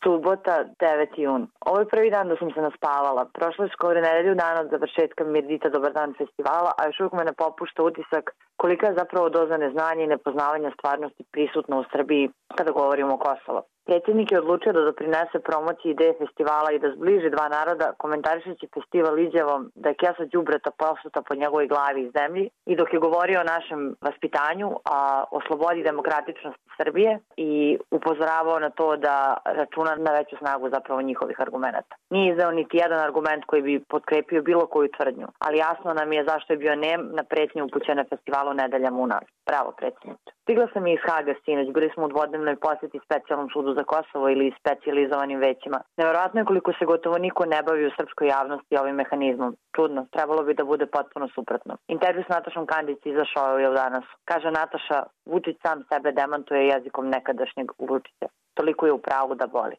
Subota, 9. jun. Ovo je prvi dan da sam se naspavala. Prošlo je skoro nedelju dana od završetka Mirdita Dobar dan festivala, a još uvijek me ne popušta utisak kolika je zapravo doza neznanja i nepoznavanja stvarnosti prisutna u Srbiji kada govorimo o Kosovu. Predsjednik je odlučio da doprinese promociji ideje festivala i da zbliži dva naroda, komentarišući festival izjavom da je kesa đubreta posuta po njegovoj glavi i zemlji, i dok je govorio o našem vaspitanju, a o slobodi i demokratičnosti Srbije, i upozoravao na to da računa na veću snagu zapravo njihovih argumenta. Nije izdao niti jedan argument koji bi potkrepio bilo koju tvrdnju, ali jasno nam je zašto je bio nem na pretnje upućene festivalu Nedeljama u nas. Bravo, predsjedniče. Stigla sam iz Haga sinoć, bili smo u dvodnevnoj posjeti specijalnom sudu za Kosovo ili specijalizovanim većima. Neverovatno je koliko se gotovo niko ne bavi u srpskoj javnosti ovim mehanizmom. Čudno, trebalo bi da bude potpuno suprotno. Intervju s Natašom Kandić izašao je danas. Kaže Nataša, Vučić sam sebe demantuje jezikom nekadašnjeg Vučića. Toliko je u pravu da boli.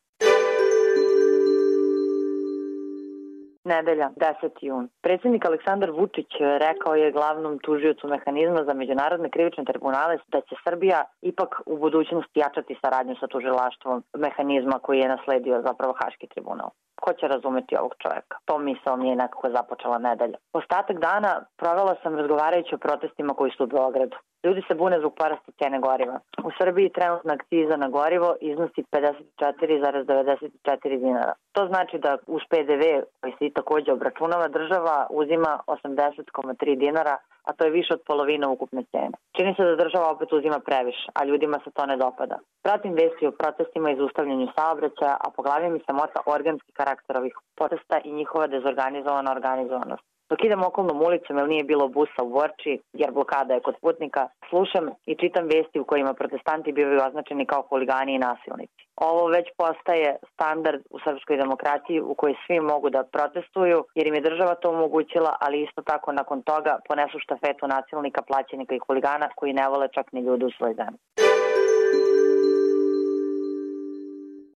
Nedelja, 10. jun. Predsjednik Aleksandar Vučić rekao je glavnom tužiocu mehanizma za međunarodne krivične tribunale da će Srbija ipak u budućnosti jačati saradnju sa tužilaštvom mehanizma koji je nasledio zapravo Haški tribunal. Ko će razumeti ovog čovjeka? To misao mi je nekako započela nedelja. Ostatak dana provela sam razgovarajući o protestima koji su u Beogradu. Ljudi se bune zbog porasta cene goriva. U Srbiji trenutna akciza na gorivo iznosi 54,94 dinara. To znači da uz PDV, koji se i također obračunava, država uzima 80,3 dinara, a to je više od polovine ukupne cene. Čini se da država opet uzima previše, a ljudima se to ne dopada. Pratim vesti o protestima i zaustavljanju saobraćaja, a po glavi mi se mota organski karakter ovih protesta i njihova dezorganizovana organizovanost. Dok idem okolnom ulicom, jer nije bilo busa u Borči, jer blokada je kod putnika, slušam i čitam vesti u kojima protestanti bivaju označeni kao huligani i nasilnici. Ovo već postaje standard u srpskoj demokratiji u kojoj svi mogu da protestuju, jer im je država to omogućila, ali isto tako nakon toga ponesu štafetu nasilnika, plaćenika i huligana koji ne vole čak ni ljudi u svoj zemlji.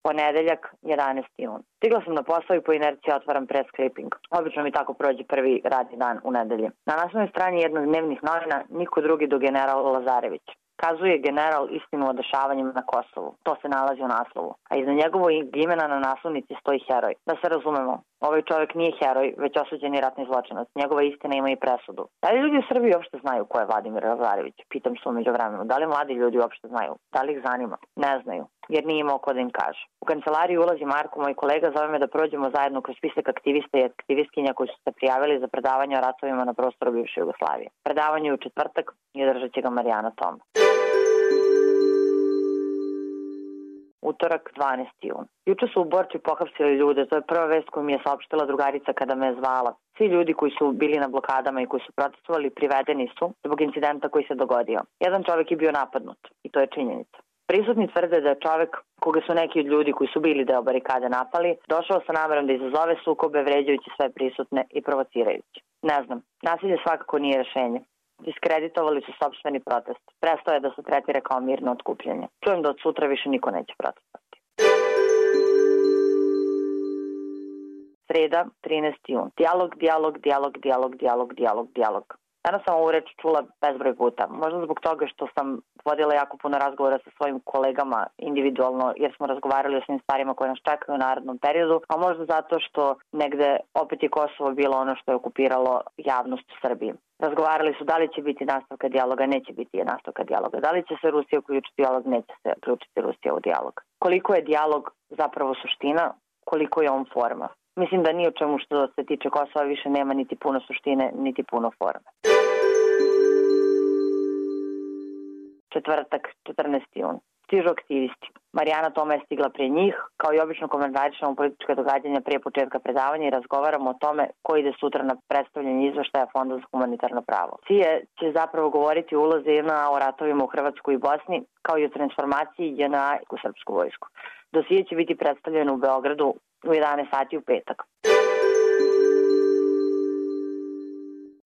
Ponedeljak, 11. jun. Stigla sam na posao i po inerciji otvaram press clipping. Obično mi tako prođe prvi radni dan u nedelji. Na naslovnoj strani jednog dnevnih novina niko drugi do general Lazarević. Kazuje general istinu o dešavanjima na Kosovu. To se nalazi u naslovu. A iza njegovog imena na naslovnici stoji heroj. Da se razumemo, ovaj čovjek nije heroj, već osuđeni ratni zločinac. Njegova istina ima i presudu. Da li ljudi u Srbiji uopšte znaju ko je Vladimir Lazarević? Pitam se umeđu vremenu. Da li mladi ljudi uopšte znaju? Da li ih zanima? Ne znaju, jer nije imao ko da im kaže. U kancelariju ulazi Marko, moj kolega, zove me da prođemo zajedno kroz spisak aktivista i aktivistkinja koji su se prijavili za predavanje o ratovima na prostoru bivše Jugoslavije. Predavanje je u četvrtak i održat će ga Marijana Toma. Utorak, 12. jun. Juče su u Borči pohapsili ljude, to je prva vest koju mi je saopštila drugarica kada me je zvala. Svi ljudi koji su bili na blokadama i koji su protestovali privedeni su zbog incidenta koji se dogodio. Jedan čovjek je bio napadnut i to je činjenica. Prisutni tvrde da je čovjek, koga su neki od ljudi koji su bili deo barikade napali, došao sa namerom da izazove sukobe, vređajući sve prisutne i provocirajući. Ne znam, nasilje svakako nije rešenje. Diskreditovali su sopstveni protest. Prestao je da se tretira kao mirno otkupljanje. Čujem da od sutra više niko neće protestovati. Sreda, 13. jun. Dijalog. Danas sam ovu reč čula bezbroj puta. Možda zbog toga što sam vodila jako puno razgovora sa svojim kolegama individualno, jer smo razgovarali o svim stvarima koje nas čekaju u narednom periodu, a možda zato što negde opet je Kosovo bilo ono što je okupiralo javnost u Srbiji. Razgovarali su da li će biti nastavka dijaloga, neće biti nastavka dijaloga. Da li će se Rusija uključiti u dijalog, neće se uključiti Rusija u dijalog. Koliko je dijalog zapravo suština, koliko je on forma. Mislim da ni o čemu što se tiče Kosova više nema niti puno suštine, niti puno forme. Četvrtak, 14. jun. Stižu aktivisti. Marijana Toma je stigla prije njih. Kao i obično komentarišemo politička događanja prije početka predavanja i razgovaramo o tome ko ide sutra na predstavljanje izveštaja Fonda za humanitarno pravo. CIA će zapravo govoriti o ulozi JNA o ratovima u Hrvatskoj i Bosni, kao i o transformaciji JNA u srpsku vojsku. Dosije će biti predstavljeno u Beogradu u 11 sati u petak.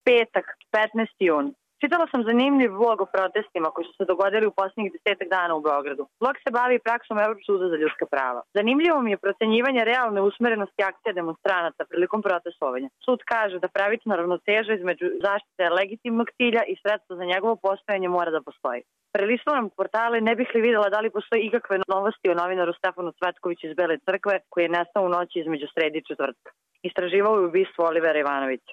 Petak, 15. jun. Čitala sam zanimljiv blog o protestima koji su se dogodili u posljednjih 10 dana u Beogradu. Blog se bavi praksom Evropskog suda za ljudska prava. Zanimljivo mi je procenjivanje realne usmerenosti akcija demonstranata prilikom protestovanja. Sud kaže da pravična ravnoteža između zaštite legitimnog cilja i sredstva za njegovo postojanje mora da postoji. Prelistavam portale, ne bih li videla da li postoji ikakve novosti o novinaru Stefanu Cvetkoviću iz Bele crkve koji je nestao u noći između srede i četvrtka. Istraživao je ubistvo Olivera Ivanovića.